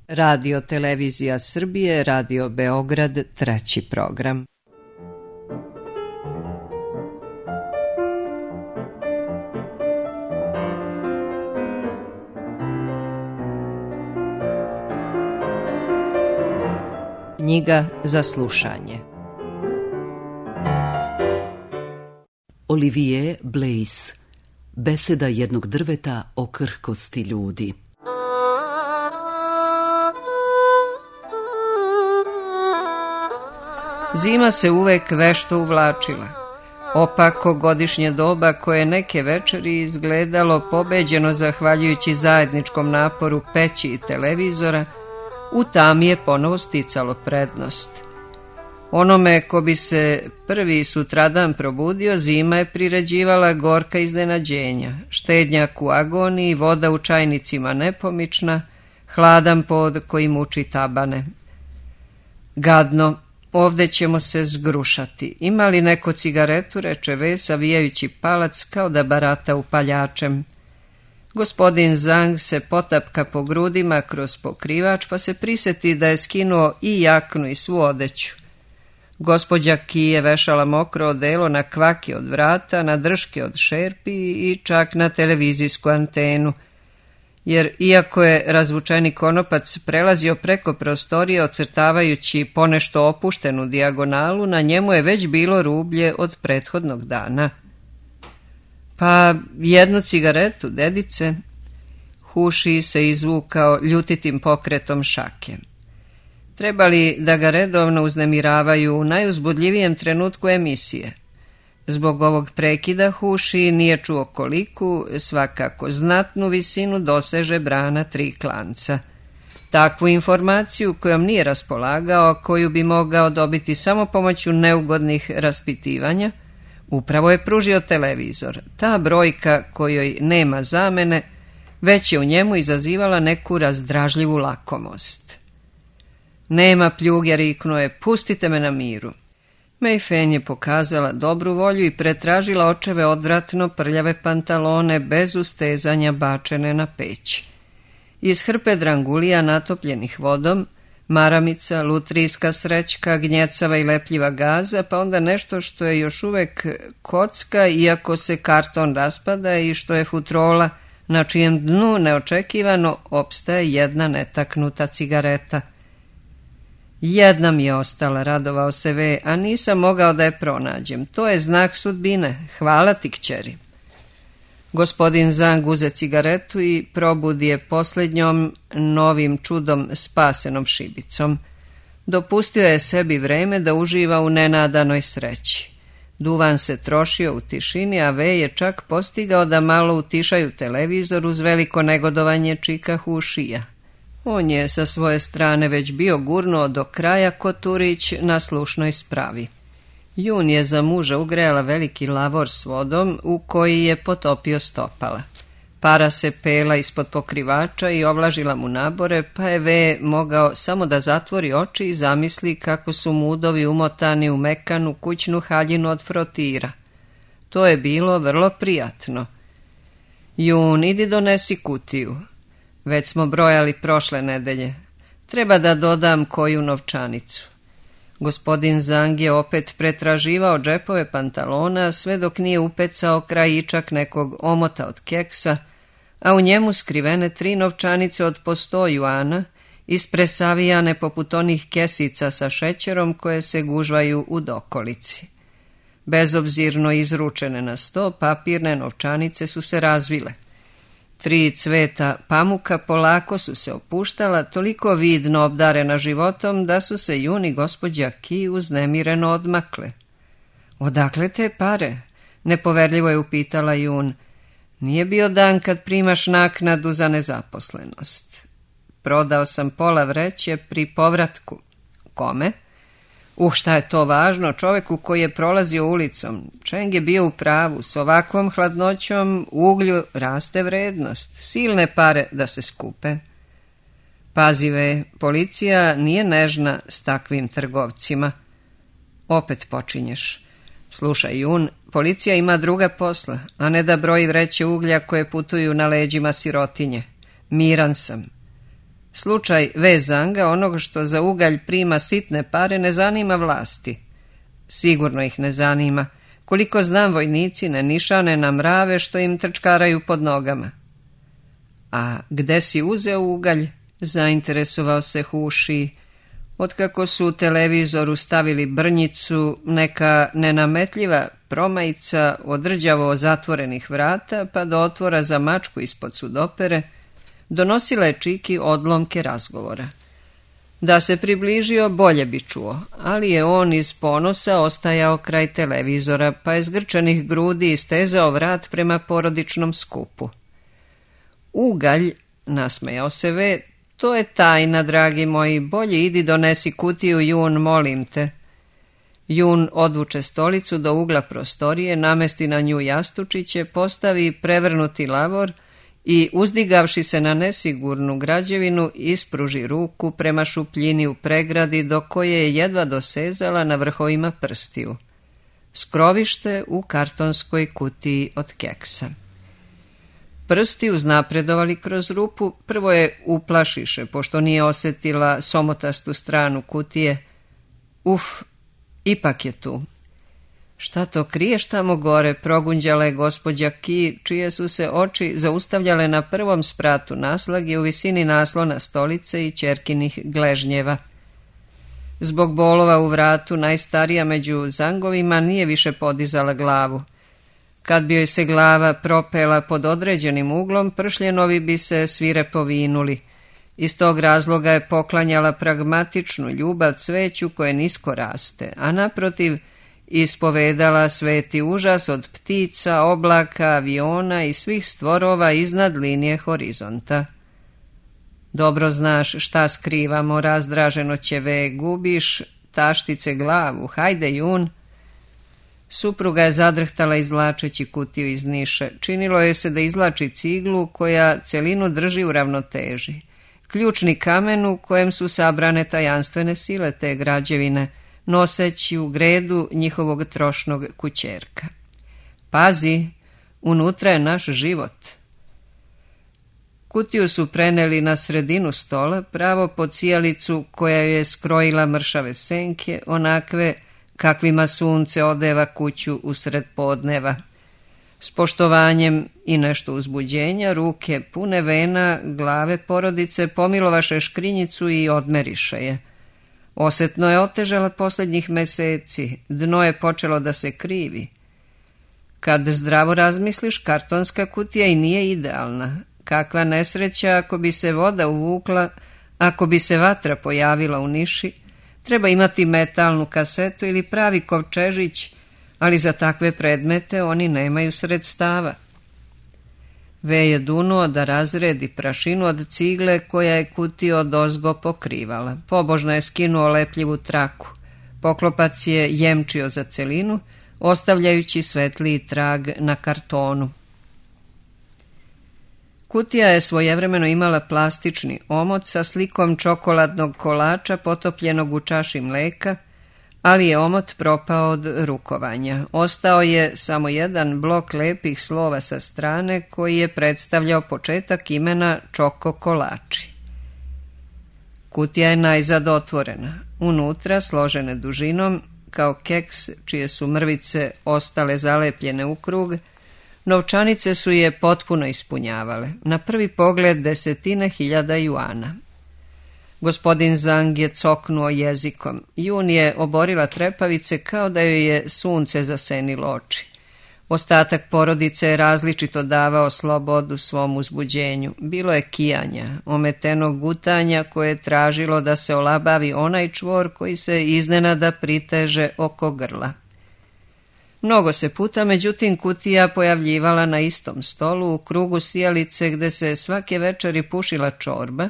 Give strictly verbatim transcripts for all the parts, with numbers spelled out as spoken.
Radio Televizija Srbije, Radio Beograd, treći program. Knjiga za slušanje. Olivier Blaise. Beseda jednog drveta o krhkosti ljudi. Zima se uvek vešto uvlačila. Opako godišnje doba koje neke večeri izgledalo pobeđeno zahvaljujući zajedničkom naporu peći i televizora, u tami je ponovo sticalo prednost. Onome ko bi se prvi sutradan probudio, zima je priređivala gorka iznenađenja, štednjak u agoniji, voda u čajnicima nepomična, hladan pod koji muči tabane. Gadno, ovde ćemo se zgrušati. Ima li neko cigaretu, reče V, savijajući palac kao da barata upaljačem. Gospodin Zang se potapka po grudima kroz pokrivač, pa se prisjeti da je skinuo i jaknu i svu odeću. Gospođa Ki je vešala mokro odelo na kvaki od vrata, na drške od šerpi i čak na televizijsku antenu, jer iako je razvučeni konopac prelazio preko prostorije ocrtavajući ponešto opuštenu dijagonalu, na njemu je već bilo rublje od prethodnog dana. Pa jednu cigaretu, dedice. Huši se izvukao ljutitim pokretom šake. Trebali da ga redovno uznemiravaju u najuzbudljivijem trenutku emisije. Zbog ovog prekida Huši nije čuo koliku, svakako znatnu visinu doseže brana tri klanca. Takvu informaciju kojom nije raspolagao, koju bi mogao dobiti samo pomoću neugodnih raspitivanja, upravo je pružio televizor. Ta brojka kojoj nema zamene već je u njemu izazivala neku razdražljivu lakomost. Nema pljuge, riknuo je, pustite me na miru. Mei Fen je pokazala dobru volju i pretražila očeve odvratno prljave pantalone bez ustezanja bačene na peć. Iz hrpe drangulija natopljenih vodom, maramica, lutrijska srećka, gnjecava i lepljiva gaza, pa onda nešto što je još uvek kocka, iako se karton raspada, i što je futrola, na čijem dnu neočekivano opstaje jedna netaknuta cigareta. Jedna mi je ostala, radovao se V, a nisam mogao da je pronađem. To je znak sudbine. Hvala ti, kćeri. Gospodin Zang uze cigaretu i probudi je posljednjom novim čudom spasenom šibicom. Dopustio je sebi vreme da uživa u nenadanoj sreći. Duvan se trošio u tišini, a V je čak postigao da malo utišaju televizor uz veliko negodovanje čika Hušija. On je sa svoje strane već bio gurnuo do kraja Koturić na slušnoj spravi. Jun je za muža ugrejala veliki lavor s vodom u koji je potopio stopala. Para se pela ispod pokrivača i ovlažila mu nabore, pa je V mogao samo da zatvori oči i zamisli kako su mu udovi umotani u mekanu kućnu haljinu od frotira. To je bilo vrlo prijatno. Jun, idi donesi kutiju. Već smo brojali prošle nedelje. Treba da dodam koju novčanicu. Gospodin Zang je opet pretraživao džepove pantalona sve dok nije upecao krajičak nekog omota od keksa, a u njemu skrivene tri novčanice od po sto juana, ispresavijane poput onih kesica sa šećerom koje se gužvaju u dokolici. Bezobzirno izručene na sto, papirne novčanice su se razvile. Tri cveta pamuka polako su se opuštala, toliko vidno obdarena životom da su se Jun i gospođa Ki uznemireno odmakle. Odakle te pare? Nepoverljivo je upitala Jun. Nije bio dan kad primaš naknadu za nezaposlenost. Prodao sam pola vreće pri povratku. Kome? Uh, šta je to važno, čoveku koji je prolazio ulicom. Čeng je bio u pravu, s ovakvom hladnoćom u uglju raste vrednost, silne pare da se skupe. Pazive, policija nije nežna s takvim trgovcima. Opet počinješ. Slušaj, Jun, policija ima druga posla, a ne da broji vreće uglja koje putuju na leđima sirotinje. Miran sam. Slučaj V. Zanga, onog što za ugalj prima sitne pare, ne zanima vlasti. Sigurno ih ne zanima. Koliko znam, vojnici ne nišane na mrave što im trčkaraju pod nogama. A gde si uzeo ugalj? Zainteresovao se Huši. Otkako su u televizoru stavili brnjicu, neka nenametljiva promajica od rđavo zatvorenih vrata pa do otvora za mačku ispod sudopere, donosila je Čiki odlomke razgovora. Da se približio, bolje bi čuo, ali je on iz ponosa ostajao kraj televizora, pa je zgrčanih grudi istezao vrat prema porodičnom skupu. Ugalj, nasmejao se V, to je tajna, dragi moji, bolje idi donesi kutiju, Jun, molim te. Jun odvuče stolicu do ugla prostorije, namesti na nju jastučiće, postavi prevrnuti lavor i, uzdigavši se na nesigurnu građevinu, ispruži ruku prema šupljini u pregradi do koje je jedva dosezala na vrhovima prstiju. Skrovište u kartonskoj kutiji od keksa. Prsti uznapredovali kroz rupu, prvo je uplašiše, pošto nije osjetila somotastu stranu kutije. Uf, ipak je tu. Šta to kriješ tamo gore, progunđala je gospođa Ki, čije su se oči zaustavljale na prvom spratu naslage u visini naslona stolice i ćerkinih gležnjeva. Zbog bolova u vratu, najstarija među Zangovima nije više podizala glavu. Kad bi joj se glava propela pod određenim uglom, pršljenovi bi se svirepo vinuli. Iz tog razloga je poklanjala pragmatičnu ljubav cveću koje nisko raste, a naprotiv ispovedala sveti užas od ptica, oblaka, aviona i svih stvorova iznad linije horizonta. Dobro znaš šta skrivamo, razdraženo će ve, gubiš taštice glavu, hajde Jun. Supruga je zadrhtala izvlačeći kutiju iz niše. Činilo je se da izvlači ciglu koja celinu drži u ravnoteži. Ključni kamen u kojem su sabrane tajanstvene sile te građevine, noseći u gredu njihovog trošnog kućerka. Pazi, unutra je naš život. Kutiju su preneli na sredinu stola, pravo pod sijalicu koja je skrojila mršave senke, onakve kakvima sunce odeva kuću usred podneva. S poštovanjem i nešto uzbuđenja, ruke pune vena glave porodice pomilovaše škrinjicu i odmeriše je. Osetno je otežala posljednjih meseci, dno je počelo da se krivi. Kad zdravo razmisliš, kartonska kutija i nije idealna. Kakva nesreća ako bi se voda uvukla, ako bi se vatra pojavila u niši, treba imati metalnu kasetu ili pravi kovčežić, ali za takve predmete oni nemaju sredstava. Ve je dunuo da razredi prašinu od cigle koja je kutiju odozgo pokrivala. Pobožno je skinuo lepljivu traku. Poklopac je jemčio za celinu, ostavljajući svetliji trag na kartonu. Kutija je svojevremeno imala plastični omot sa slikom čokoladnog kolača potopljenog u čaši mleka, ali je omot propao od rukovanja. Ostao je samo jedan blok lepih slova sa strane koji je predstavljao početak imena Čoko kolači. Kutija je najzad otvorena. Unutra, složene dužinom, kao keks čije su mrvice ostale zalepljene u krug, novčanice su je potpuno ispunjavale. Na prvi pogled desetine hiljada juana. Gospodin Zang je coknuo jezikom. Jun je oborila trepavice kao da joj je sunce zasenilo oči. Ostatak porodice je različito davao slobodu svom uzbuđenju. Bilo je kijanja, ometenog gutanja koje je tražilo da se olabavi onaj čvor koji se iznenada priteže oko grla. Mnogo se puta, međutim, kutija pojavljivala na istom stolu u krugu sijalice gde se svake večeri pušila čorba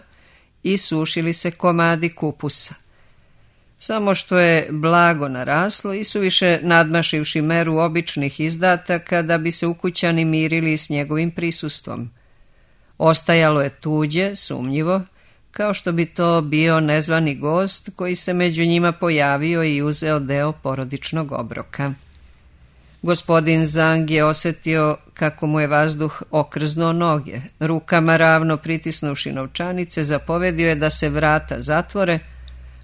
i sušili se komadi kupusa. Samo što je blago naraslo i suviše nadmašivši meru običnih izdataka da bi se ukućani mirili s njegovim prisustvom. Ostajalo je tuđe, sumnjivo, kao što bi to bio nezvani gost koji se među njima pojavio i uzeo deo porodičnog obroka. Gospodin Zang je osjetio kako mu je vazduh okrznuo noge. Rukama ravno pritisnuši novčanice, zapovedio je da se vrata zatvore,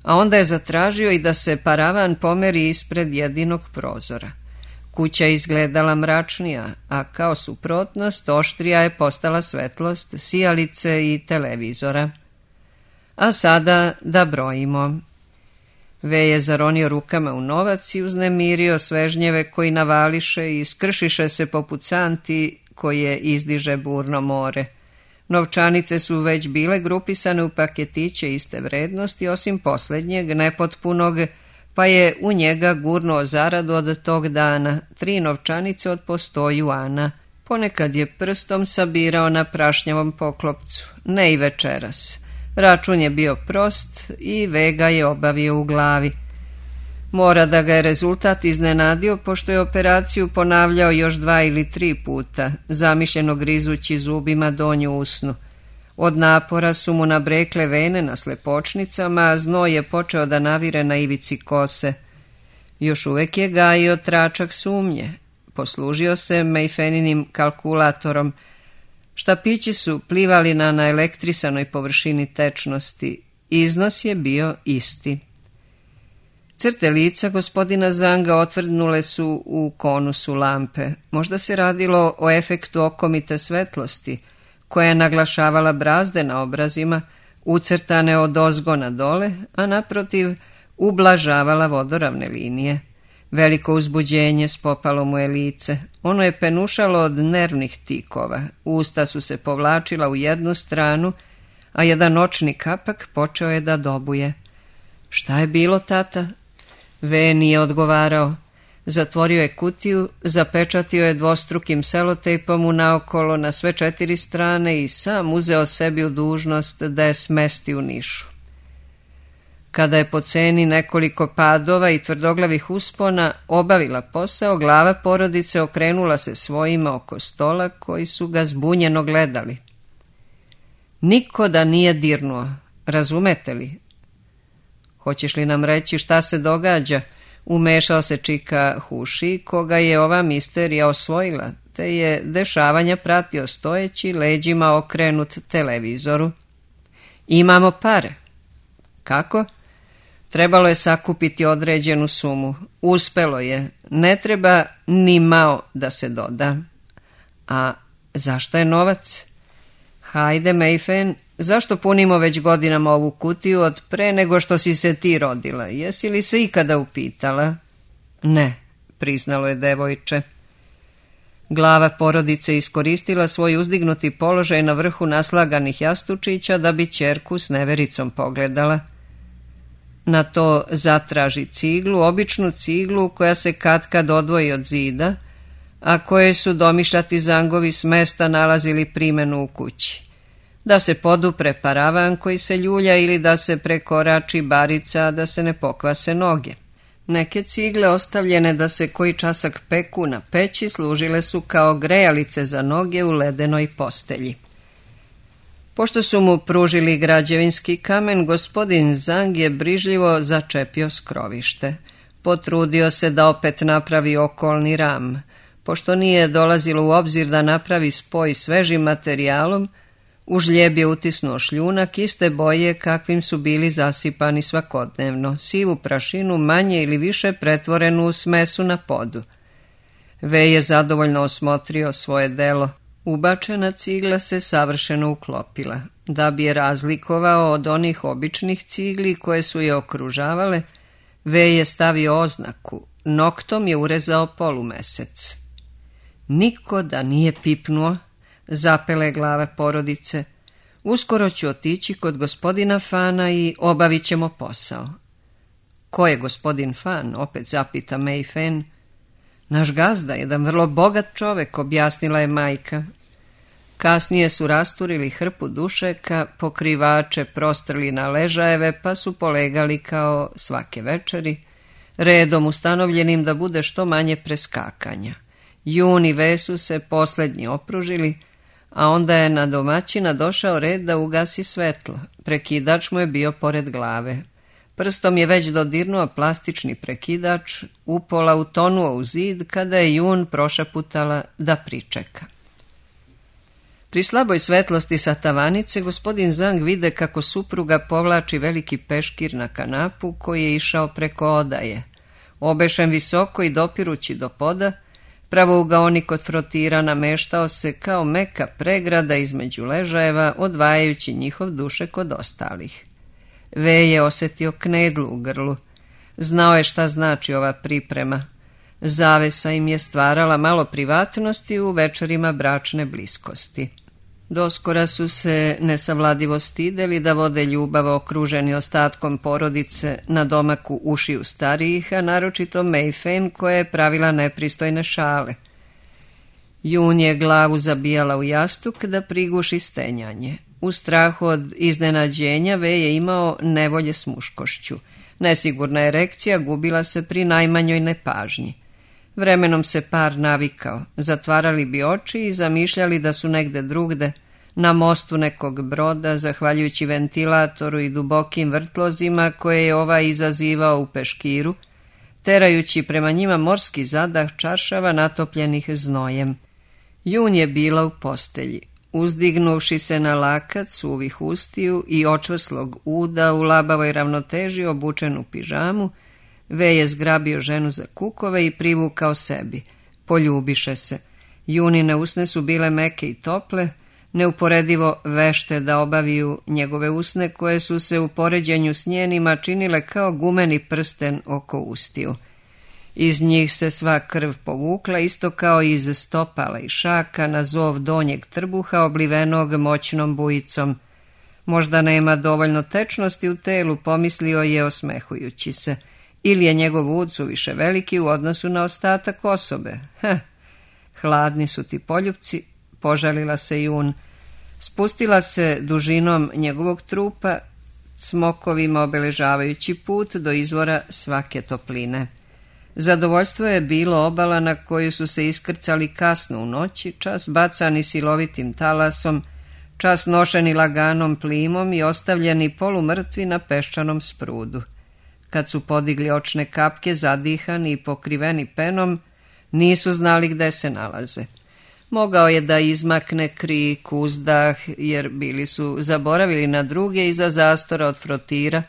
a onda je zatražio i da se paravan pomeri ispred jedinog prozora. Kuća je izgledala mračnija, a kao suprotnost oštrija je postala svetlost sijalice i televizora. A sada da brojimo. Ve je zaronio rukama u novac i uznemirio svežnjeve koji navališe i skršiše se poput santi koje izdiže burno more. Novčanice su već bile grupisane u paketiće iste vrednosti, osim posljednjeg, nepotpunog, pa je u njega gurnuo zaradu od tog dana, tri novčanice od po sto juana. Ponekad je prstom sabirao na prašnjavom poklopcu, ne i večeras. Račun je bio prost i Vega je obavio u glavi. Mora da ga je rezultat iznenadio, pošto je operaciju ponavljao još dva ili tri puta, zamišljeno grizući zubima donju usnu. Od napora su mu nabrekle vene na slepočnicama, a znoj je počeo da navire na ivici kose. Još uvek je gajio tračak sumnje. Poslužio se Mayfeninim kalkulatorom. Štapići su plivali na naelektrisanoj površini tečnosti. Iznos je bio isti. Crte lica gospodina Zanga otvrdnule su u konusu lampe. Možda se radilo o efektu okomite svetlosti, koja je naglašavala brazde na obrazima, ucrtane od ozgo na dole, a naprotiv ublažavala vodoravne linije. Veliko uzbuđenje spopalo mu je lice. Ono je penušalo od nervnih tikova. Usta su se povlačila u jednu stranu, a jedan očni kapak počeo je da dobuje. Šta je bilo, tata? Ve nije odgovarao. Zatvorio je kutiju, zapečatio je dvostrukim selotejpom unaokolo na sve četiri strane i sam uzeo sebi u dužnost da je smesti u nišu. Kada je po ceni nekoliko padova i tvrdoglavih uspona obavila posao, glava porodice okrenula se svojima oko stola koji su ga zbunjeno gledali. Niko da nije dirnuo, razumete li? Hoćeš li nam reći šta se događa? Umešao se čika Huši, koga je ova misterija osvojila, te je dešavanja pratio stojeći, leđima okrenut televizoru. Imamo pare. Kako? Trebalo je sakupiti određenu sumu. Uspelo je. Ne treba ni mao da se doda. A zašto je novac? Hajde, Mayfen, zašto punimo već godinama ovu kutiju od pre nego što si se ti rodila? Jesi li se ikada upitala? Ne, priznalo je devojče. Glava porodice iskoristila svoj uzdignuti položaj na vrhu naslaganih jastučića da bi ćerku s nevericom pogledala. Na to zatraži ciglu, običnu ciglu koja se katkad odvoji od zida, a koje su domišljati Zangovi s mesta nalazili primenu u kući. Da se podupre paravan koji se ljulja ili da se prekorači barica, da se ne pokvase noge. Neke cigle ostavljene da se koji časak peku na peći služile su kao grejalice za noge u ledenoj postelji. Pošto su mu pružili građevinski kamen, gospodin Zang je brižljivo začepio skrovište. Potrudio se da opet napravi okolni ram. Pošto nije dolazilo u obzir da napravi spoj svežim materijalom, u žljeb je utisnuo šljunak iste boje kakvim su bili zasipani svakodnevno, sivu prašinu manje ili više pretvorenu u smesu na podu. Ve je zadovoljno osmotrio svoje delo. Ubačena cigla se savršeno uklopila. Da bi je razlikovao od onih običnih cigli koje su je okružavale, Ve je stavio oznaku, noktom je urezao polumesec. Niko da nije pipnuo, zapele glava porodice. Uskoro ću otići kod gospodina Fana i obavit ćemo posao. Ko je gospodin Fan? Opet zapita Mayfen. Naš gazda, jedan vrlo bogat čovek, objasnila je majka. Kasnije su rasturili hrpu dušeka, pokrivače prostrli na ležajeve, pa su polegali kao svake večeri, redom ustanovljenim da bude što manje preskakanja. Jun i Ve su se posljednji opružili, a onda je na domaćina došao red da ugasi svetlo. Prekidač mu je bio pored glave. Prstom je već dodirnuo plastični prekidač, upola utonuo u zid kada je Jun prošaputala da pričeka. Pri slaboj svetlosti sa tavanice gospodin Zang vide kako supruga povlači veliki peškir na kanapu koji je išao preko odaje. Obešen visoko i dopirući do poda, pravougaonik kod frotira nameštao se kao meka pregrada između ležajeva, odvajajući njihov dušek od ostalih. Ve je osjetio knedlu u grlu. Znao je šta znači ova priprema. Zavesa im je stvarala malo privatnosti u večerima bračne bliskosti. Doskora su se nesavladivo stideli da vode ljubav okruženi ostatkom porodice na domaku ušiju starijih, a naročito Mayfen koja je pravila nepristojne šale. Jun je glavu zabijala u jastuk da priguši stenjanje. U strahu od iznenađenja Ve je imao nevolje s muškošću. Nesigurna erekcija gubila se pri najmanjoj nepažnji. Vremenom se par navikao, zatvarali bi oči i zamišljali da su negde drugde, na mostu nekog broda, zahvaljujući ventilatoru i dubokim vrtlozima koje je ovaj izazivao u peškiru, terajući prema njima morski zadah čaršava natopljenih znojem. Jun je bila u postelji. Uzdignuvši se na lakat suvih ustiju i očvrslog uda u labavoj ravnoteži obučen u pižamu, Ve je zgrabio ženu za kukove i privukao sebi. Poljubiše se. Junine usne su bile meke i tople, neuporedivo vešte da obaviju njegove usne koje su se u poređenju s njenima činile kao gumeni prsten oko ustiju. Iz njih se sva krv povukla, isto kao iz stopala i šaka na zov donjeg trbuha oblivenog moćnom bujicom. Možda nema dovoljno tečnosti u telu, pomislio je osmehujući se. Ili je njegov ud suviše veliki u odnosu na ostatak osobe. Heh, hladni su ti poljupci, požalila se Jun. Spustila se dužinom njegovog trupa, smokovima obeležavajući put do izvora svake topline. Zadovoljstvo je bilo obala na koju su se iskrcali kasno u noći, čas bacani silovitim talasom, čas nošeni laganom plimom i ostavljeni polumrtvi na peščanom sprudu. Kad su podigli očne kapke, zadihani i pokriveni penom, nisu znali gde se nalaze. Mogao je da izmakne krik, uzdah, jer bili su zaboravili na druge iza zastora od frotira.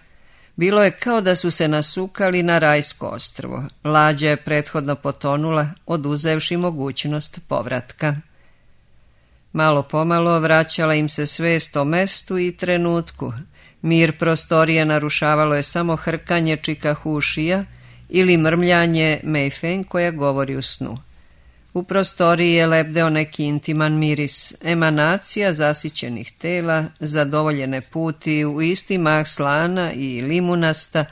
Bilo je kao da su se nasukali na rajsko ostrvo. Lađa je prethodno potonula, oduzevši mogućnost povratka. Malo pomalo vraćala im se svest o mestu i trenutku. Mir prostorije narušavalo je samo hrkanje čikahušija ili mrmljanje Mayfen koja govori u snu. U prostoriji je lebdeo neki intiman miris, emanacija zasićenih tela, zadovoljene puti u isti mah slana i limunasta,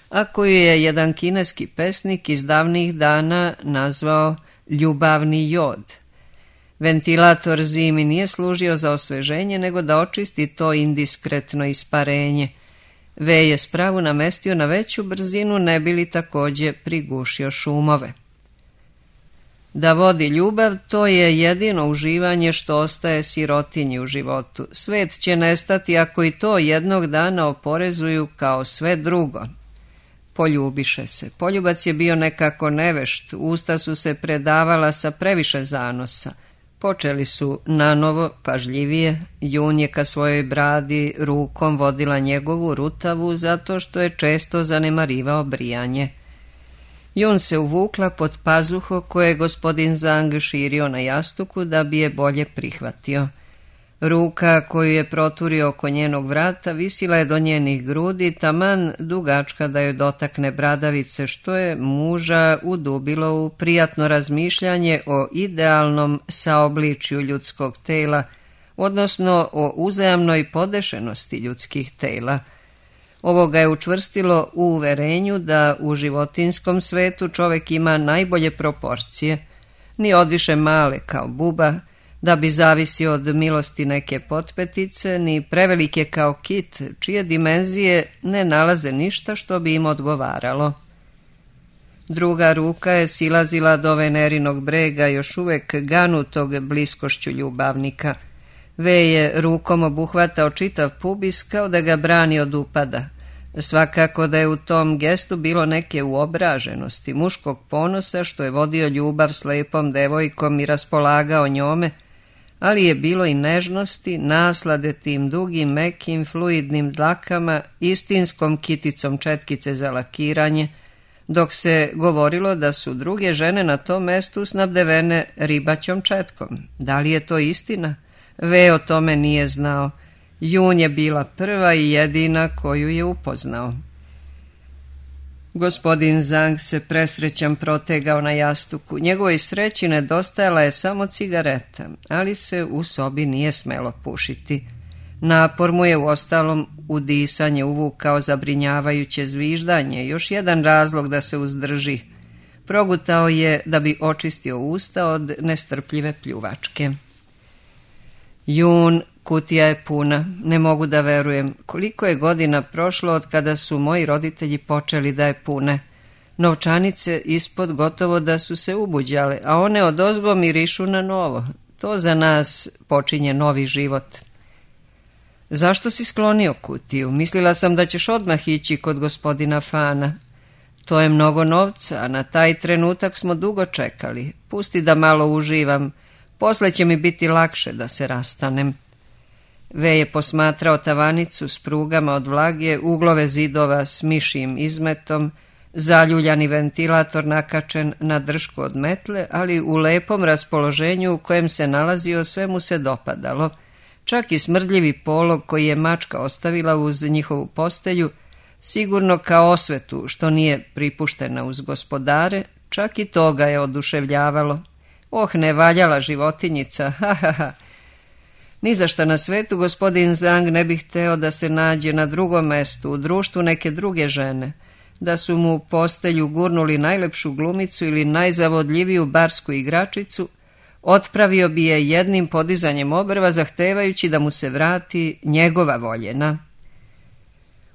a koju je jedan kineski pesnik iz davnih dana nazvao ljubavni jod. Ventilator zimi nije služio za osveženje, nego da očisti to indiskretno isparenje. Ve je spravu namestio na veću brzinu, ne bi li također prigušio šumove. Da vodi ljubav, to je jedino uživanje što ostaje sirotinji u životu. Svet će nestati ako i to jednog dana oporezuju kao sve drugo. Poljubiše se. Poljubac je bio nekako nevešt, usta su se predavala sa previše zanosa. Počeli su nanovo, pažljivije. Jun je ka svojoj bradi rukom vodila njegovu rutavu zato što je često zanemarivao brijanje. Jun se uvukla pod pazuho koje je gospodin Zang širio na jastuku da bi je bolje prihvatio. Ruka koju je proturio oko njenog vrata visila je do njenih grudi, taman dugačka da joj dotakne bradavice, što je muža udubilo u prijatno razmišljanje o idealnom saobličju ljudskog tela, odnosno o uzajamnoj podešenosti ljudskih tela. Ovo ga je učvrstilo u uverenju da u životinskom svetu čovek ima najbolje proporcije, ni odviše male kao buba, da bi zavisio od milosti neke potpetice, ni prevelike kao kit, čije dimenzije ne nalaze ništa što bi im odgovaralo. Druga ruka je silazila do Venerinog brega, još uvek ganutog bliskošću ljubavnika. Ve je rukom obuhvatao čitav pubis kao da ga brani od upada. Svakako da je u tom gestu bilo neke uobraženosti, muškog ponosa što je vodio ljubav s lepom devojkom i raspolagao njome, ali je bilo i nežnosti, naslade tim dugim, mekim, fluidnim dlakama, istinskom kiticom četkice za lakiranje, dok se govorilo da su druge žene na tom mestu snabdevene ribaćom četkom. Da li je to istina? Ve o tome nije znao. Jun je bila prva i jedina koju je upoznao. Gospodin Zhang se presrećan protegao na jastuku. Njegovoj sreći nedostajala je samo cigareta, ali se u sobi nije smelo pušiti. Napor mu je uostalom udisanje uvukao zabrinjavajuće zviždanje, još jedan razlog da se uzdrži. Progutao je da bi očistio usta od nestrpljive pljuvačke. Jun, kutija je puna, ne mogu da verujem. Koliko je godina prošlo od kada su moji roditelji počeli da je pune. Novčanice ispod gotovo da su se ubuđale, a one odozgo mirišu na novo. To za nas počinje novi život. Zašto si sklonio kutiju? Mislila sam da ćeš odmah ići kod gospodina Fana. To je mnogo novca, a na taj trenutak smo dugo čekali. Pusti da malo uživam. Posle će mi biti lakše da se rastanem. Ve je posmatrao tavanicu s prugama od vlage, uglove zidova s mišijim izmetom, zaljuljani ventilator nakačen na dršku od metle, ali u lepom raspoloženju u kojem se nalazio sve mu se dopadalo. Čak i smrdljivi polog koji je mačka ostavila uz njihovu postelju, sigurno kao osvetu što nije pripuštena uz gospodare, čak i to ga je oduševljavalo. Oh, nevaljala životinjica, ha ha ha. Ni za šta na svetu gospodin Zhang ne bi hteo da se nađe na drugom mestu, u društvu neke druge žene, da su mu u postelju gurnuli najlepšu glumicu ili najzavodljiviju barsku igračicu, otpravio bi je jednim podizanjem obrva zahtevajući da mu se vrati njegova voljena.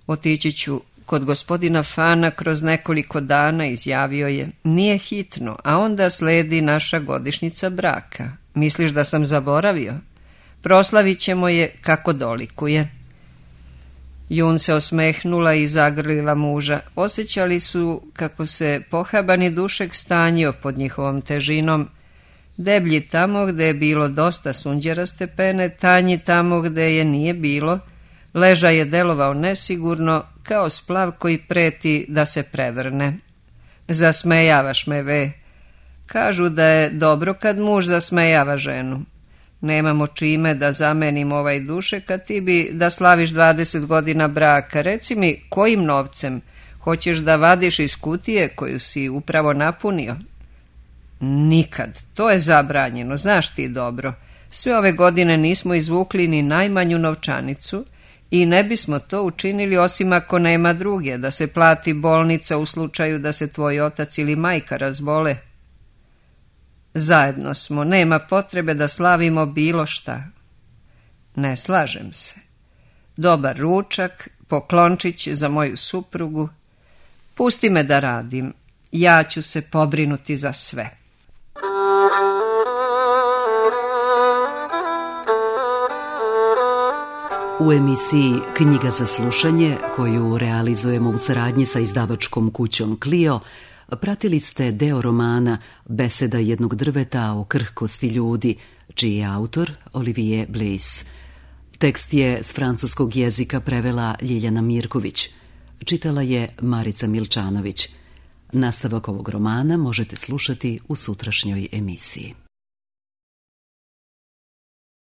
Otići ću kod gospodina Fana kroz nekoliko dana, izjavio je. Nije hitno, a onda sledi naša godišnjica braka. Misliš da sam zaboravio? Proslavit ćemo je kako dolikuje. Jun se osmehnula i zagrlila muža. Osjećali su kako se pohabani dušek stanjio pod njihovom težinom. Deblji tamo gde je bilo dosta sunđeraste pene, tanji tamo gde je nije bilo. Ležaj je delovao nesigurno, kao splav koji preti da se prevrne. Zasmejavaš me, Ve. Kažu da je dobro kad muž zasmejava ženu. Nemamo čime da zamenim ovaj dušek, a ti bi da slaviš dvadeset godina braka. Reci mi, kojim novcem? Hoćeš da vadiš iz kutije koju si upravo napunio? Nikad. To je zabranjeno, znaš ti dobro. Sve ove godine nismo izvukli ni najmanju novčanicu i ne bismo to učinili osim ako nema druge, da se plati bolnica u slučaju da se tvoj otac ili majka razbole. Zajedno smo, nema potrebe da slavimo bilo šta. Ne slažem se. Dobar ručak, poklončić za moju suprugu. Pusti me da radim, ja ću se pobrinuti za sve. U emisiji Knjiga za slušanje, koju realizujemo u saradnji sa izdavačkom kućom Clio, pratili ste deo romana Beseda jednog drveta o krhkosti ljudi, čiji je autor Olivier Bliss. Tekst je s francuskog jezika prevela Ljiljana Mirković. Čitala je Marica Milčanović. Nastavak ovog romana možete slušati u sutrašnjoj emisiji.